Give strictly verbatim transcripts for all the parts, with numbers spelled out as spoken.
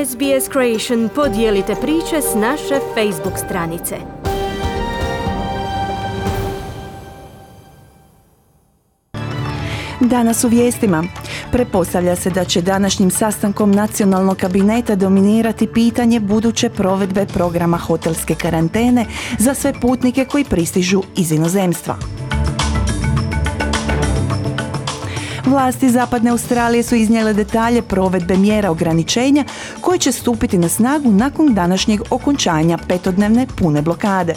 S B S Creation podijelite priče s naše Facebook stranice. Danas u vijestima. Pretpostavlja se da će današnjim sastankom nacionalnog kabineta dominirati pitanje buduće provedbe programa hotelske karantene za sve putnike koji pristižu iz inozemstva. Vlasti Zapadne Australije su iznijele detalje provedbe mjera ograničenja koje će stupiti na snagu nakon današnjeg okončanja petodnevne pune blokade.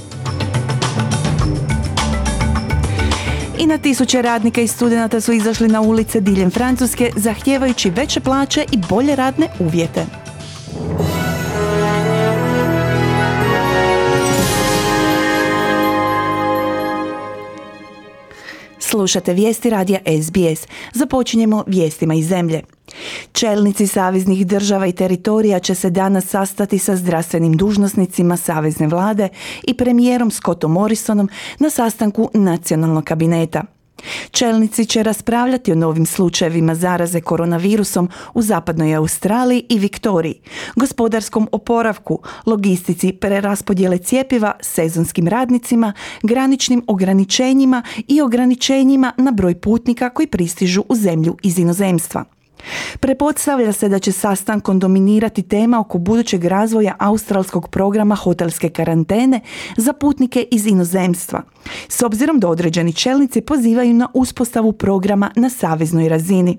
I na tisuće radnika i studenata su izašli na ulice diljem Francuske zahtijevajući veće plaće i bolje radne uvjete. Slušate vijesti radija S B S. Započinjemo vijestima iz zemlje. Čelnici saveznih država i teritorija će se danas sastati sa zdravstvenim dužnosnicima savezne vlade i premijerom Scottom Morrisonom na sastanku nacionalnog kabineta. Čelnici će raspravljati o novim slučajevima zaraze koronavirusom u zapadnoj Australiji i Viktoriji, gospodarskom oporavku, logistici preraspodjele cjepiva, sezonskim radnicima, graničnim ograničenjima i ograničenjima na broj putnika koji pristižu u zemlju iz inozemstva. Pretpostavlja se da će sastankom dominirati tema oko budućeg razvoja australskog programa hotelske karantene za putnike iz inozemstva, s obzirom da određeni čelnici pozivaju na uspostavu programa na saveznoj razini.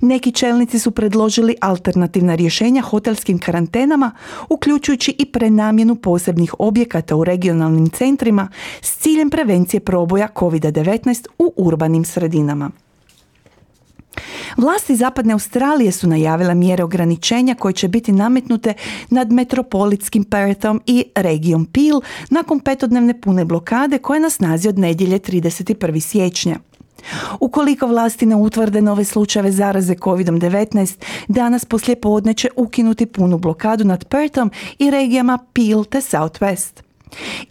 Neki čelnici su predložili alternativna rješenja hotelskim karantenama, uključujući i prenamjenu posebnih objekata u regionalnim centrima s ciljem prevencije proboja kovid devetnaest u urbanim sredinama. Vlasti Zapadne Australije su najavile mjere ograničenja koje će biti nametnute nad metropolitskim Perthom i regijom Peel nakon petodnevne pune blokade koja je na snazi od nedjelje trideset prvog siječnja. Ukoliko vlasti ne utvrde nove slučajeve zaraze kovid devetnaest, danas poslijepodne će ukinuti punu blokadu nad Perthom i regijama Peel te South West.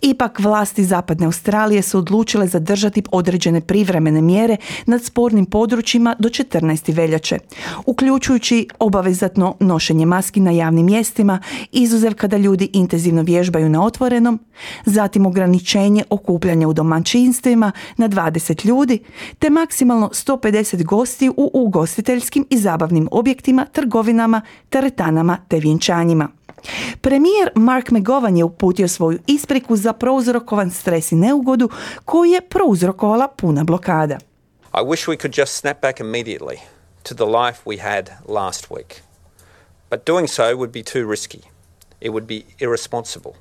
Ipak vlasti Zapadne Australije su odlučile zadržati određene privremene mjere nad spornim područjima do četrnaestog veljače, uključujući obavezatno nošenje maski na javnim mjestima, izuzev kada ljudi intenzivno vježbaju na otvorenom, zatim ograničenje okupljanja u domaćinstvima na dvadeset ljudi, te maksimalno sto pedeset gostiju u ugostiteljskim i zabavnim objektima, trgovinama, teretanama te vjenčanjima. Premijer Mark McGowan je uputio svoju ispriku za prouzrokovan stres i neugodu koju je prouzrokovala puna blokada. I wish we could just snap back immediately to the life we had last week. But doing so would be too risky. It would be irresponsible.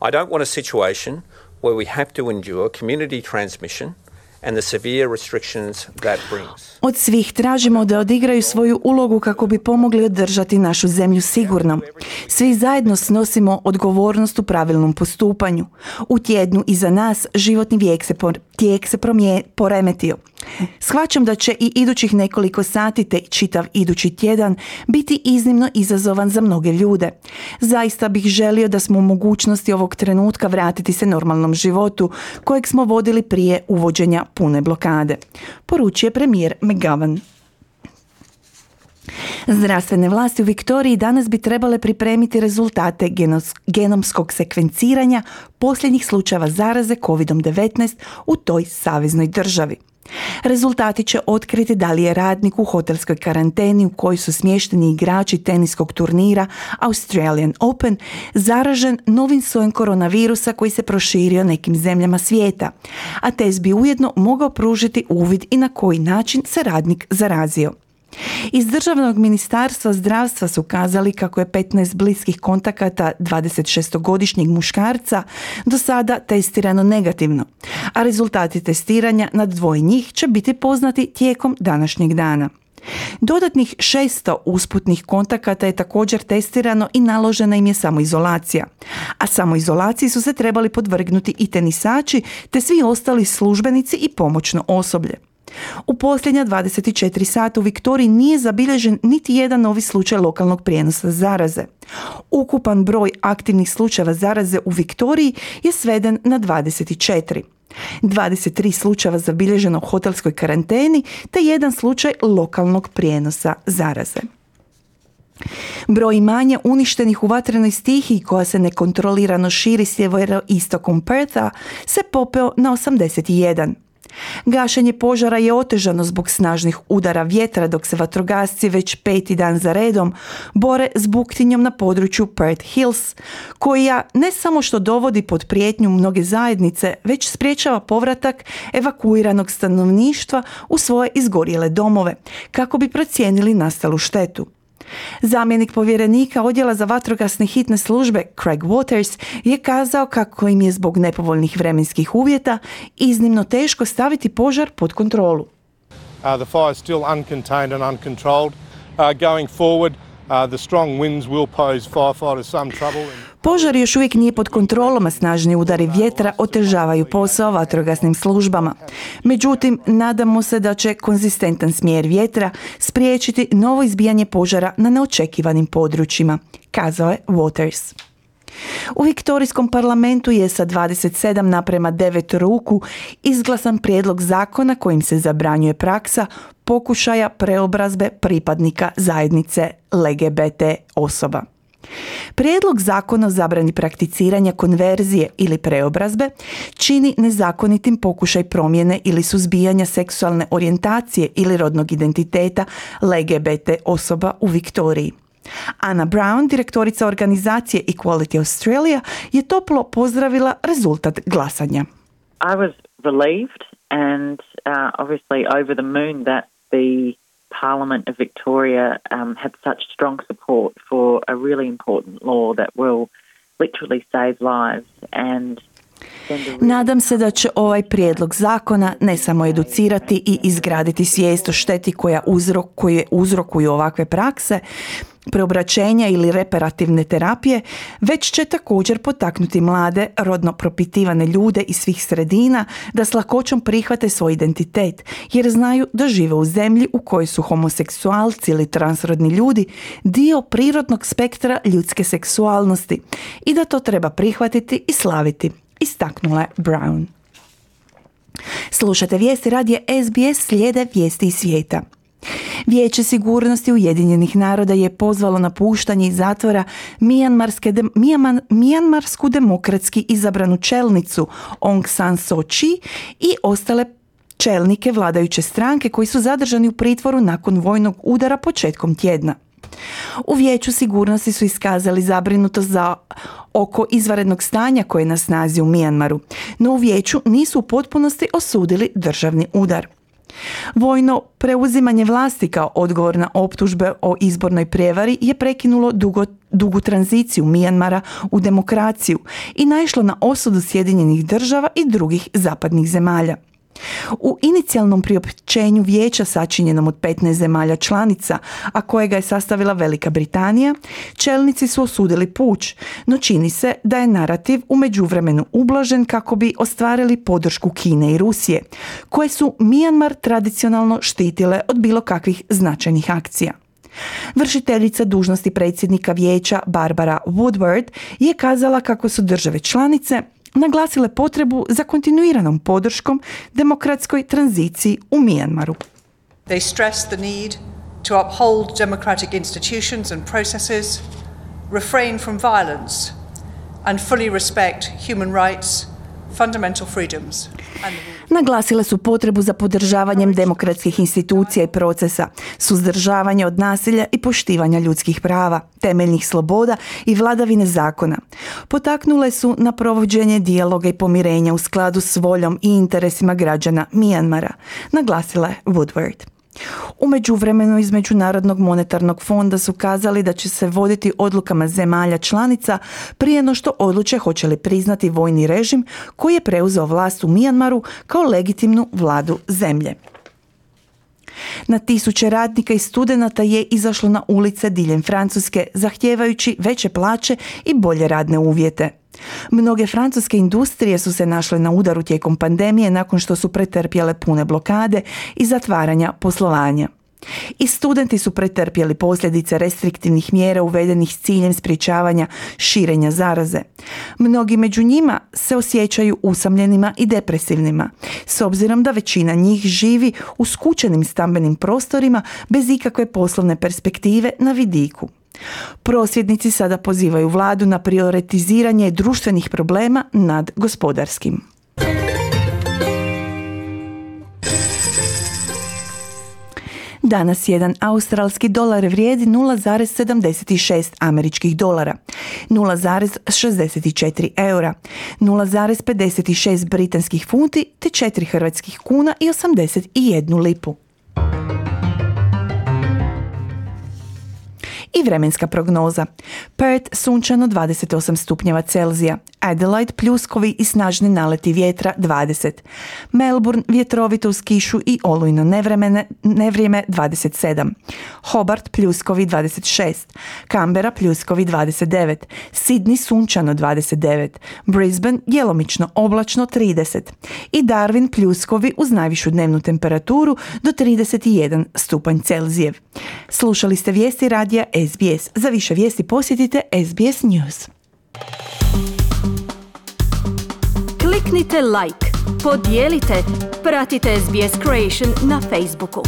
I don't want a situation where we have to endure community transmission and the severe restrictions that brings. Od svih tražimo da odigraju svoju ulogu kako bi pomogli održati našu zemlju sigurnom. Svi zajedno snosimo odgovornost u pravilnom postupanju. U tjednu iza nas životni vijek se por, tijek se promije, poremetio. Shvaćam da će i idućih nekoliko sati te čitav idući tjedan biti iznimno izazovan za mnoge ljude. Zaista bih želio da smo u mogućnosti ovog trenutka vratiti se normalnom životu kojeg smo vodili prije uvođenja pune blokade, poručuje premijer McGowan. Zdravstvene vlasti u Viktoriji danas bi trebale pripremiti rezultate genos- genomskog sekvenciranja posljednjih slučajeva zaraze kovid devetnaest u toj saveznoj državi. Rezultati će otkriti da li je radnik u hotelskoj karanteni u kojoj su smješteni igrači teniskog turnira Australian Open zaražen novim sojem koronavirusa koji se proširio nekim zemljama svijeta, a test bi ujedno mogao pružiti uvid i na koji način se radnik zarazio. Iz Državnog ministarstva zdravstva su kazali kako je petnaest bliskih kontakata dvadesetšestogodišnjeg muškarca do sada testirano negativno, a rezultati testiranja nad dvoje njih će biti poznati tijekom današnjeg dana. Dodatnih šesto usputnih kontakata je također testirano i naložena im je samoizolacija, a samoizolaciji su se trebali podvrgnuti i tenisači te svi ostali službenici i pomoćno osoblje. U posljednja dvadeset četiri sata u Viktoriji nije zabilježen niti jedan novi slučaj lokalnog prijenosa zaraze. Ukupan broj aktivnih slučajeva zaraze u Viktoriji je sveden na dvadeset četiri. dvadeset tri slučajeva zabilježeno u hotelskoj karanteni te jedan slučaj lokalnog prijenosa zaraze. Broj imanja uništenih u vatrenoj stihiji koja se nekontrolirano širi sjeveroistokom Pertha se popeo na osamdeset jedan. Gašenje požara je otežano zbog snažnih udara vjetra dok se vatrogasci već peti dan za redom bore s buktinjom na području Perth Hills, koja ne samo što dovodi pod prijetnju mnoge zajednice, već spriječava povratak evakuiranog stanovništva u svoje izgorjele domove, kako bi procijenili nastalu štetu. Zamjenik povjerenika odjela za vatrogasne hitne službe Craig Waters je kazao kako im je zbog nepovoljnih vremenskih uvjeta iznimno teško staviti požar pod kontrolu. Uh, the fire is still uncontained and uncontrolled. Uh, going forward, uh, the strong winds will pose firefighters some trouble. Požar još uvijek nije pod kontrolom, a snažni udari vjetra otežavaju posao vatrogasnim službama. Međutim, nadamo se da će konzistentan smjer vjetra spriječiti novo izbijanje požara na neočekivanim područjima, kazao je Waters. U Viktorijskom parlamentu je sa dvadeset sedam naprema devet ruku izglasan prijedlog zakona kojim se zabranjuje praksa pokušaja preobrazbe pripadnika zajednice L G B T osoba. Prijedlog zakona o zabrani prakticiranja konverzije ili preobrazbe čini nezakonitim pokušaj promjene ili suzbijanja seksualne orijentacije ili rodnog identiteta L G B T osoba u Viktoriji. Anna Brown, direktorica organizacije Equality Australia, je toplo pozdravila rezultat glasanja. I was relieved and uh, obviously over the moon that the Parliament of Victoria um, had such strong support for a really important law that will literally save lives and Nadam se da će ovaj prijedlog zakona ne samo educirati i izgraditi svijest o šteti koja uzrokuje, uzrokuju ovakve prakse, preobraćenja ili reparativne terapije, već će također potaknuti mlade, rodno propitivane ljude iz svih sredina da s lakoćom prihvate svoj identitet, jer znaju da žive u zemlji u kojoj su homoseksualci ili transrodni ljudi dio prirodnog spektra ljudske seksualnosti i da to treba prihvatiti i slaviti, istaknula je Brown. Slušate vijesti radija S B S, slijede vijesti iz svijeta. Vijeće sigurnosti Ujedinjenih naroda je pozvalo na puštanje iz zatvora Mijanmarske de, Mijaman, Mijanmarsku demokratski izabranu čelnicu Aung San Suu Kyi i ostale čelnike vladajuće stranke koji su zadržani u pritvoru nakon vojnog udara početkom tjedna. U Vijeću sigurnosti su iskazali zabrinutost za oko izvanrednog stanja koje je na snazi u Mijanmaru, no u Vijeću nisu u potpunosti osudili državni udar. Vojno preuzimanje vlasti kao odgovor na optužbe o izbornoj prijevari je prekinulo dugo, dugu tranziciju Mijanmara u demokraciju i naišlo na osudu Sjedinjenih država i drugih zapadnih zemalja. U inicijalnom priopćenju vijeća sačinjenom od petnaest zemalja članica, a kojega je sastavila Velika Britanija, čelnici su osudili puč, no čini se da je narativ u međuvremenu ublažen kako bi ostvarili podršku Kine i Rusije, koje su Mijanmar tradicionalno štitile od bilo kakvih značajnih akcija. Vršiteljica dužnosti predsjednika vijeća Barbara Woodward je kazala kako su države članice naglasile potrebu za kontinuiranom podrškom demokratskoj tranziciji u Mijanmaru. They stressed the need to uphold democratic institutions and processes, refrain from violence and fully respect human rights, fundamental freedoms and the rule. Naglasile su potrebu za podržavanjem demokratskih institucija i procesa, suzdržavanje od nasilja i poštivanja ljudskih prava, temeljnih sloboda i vladavine zakona. Potaknule su na provođenje dijaloga i pomirenja u skladu s voljom i interesima građana Mijanmara, naglasila je Woodward. U međuvremenu iz Međunarodnog monetarnog fonda su kazali da će se voditi odlukama zemalja članica prije no što odluče hoće li priznati vojni režim koji je preuzeo vlast u Mijanmaru kao legitimnu vladu zemlje. Na tisuće radnika i studenata je izašlo na ulice diljem Francuske zahtijevajući veće plaće i bolje radne uvjete. Mnoge francuske industrije su se našle na udaru tijekom pandemije nakon što su pretrpjele pune blokade i zatvaranja poslovanja. I studenti su pretrpjeli posljedice restriktivnih mjera uvedenih s ciljem sprječavanja širenja zaraze. Mnogi među njima se osjećaju usamljenima i depresivnima, s obzirom da većina njih živi u skučenim stambenim prostorima bez ikakve poslovne perspektive na vidiku. Prosvjednici sada pozivaju vladu na prioritiziranje društvenih problema nad gospodarskim. Danas jedan australski dolar vrijedi nula zarez sedamdeset šest američkih dolara, nula zarez šezdeset četiri eura, nula zarez pedeset šest britanskih funti te četiri hrvatskih kuna i osamdeset jednu lipu. I vremenska prognoza. Perth sunčano dvadeset osam stupnjeva Celzija, Adelaide pljuskovi i snažni naleti vjetra dvadeset, Melbourne vjetrovito uz kišu i olujno nevremene, nevrijeme dvadeset sedam, Hobart pljuskovi dvadeset šest, Canberra pljuskovi dvadeset devet, Sydney sunčano dvadeset devet, Brisbane djelomično oblačno trideset i Darwin pljuskovi uz najvišu dnevnu temperaturu do trideset jedan stupanj Celzijev. Slušali ste vijesti radija S B S. Za više vijesti posjetite S B S News. Kliknite like, podijelite, pratite S B S Creation na Facebooku.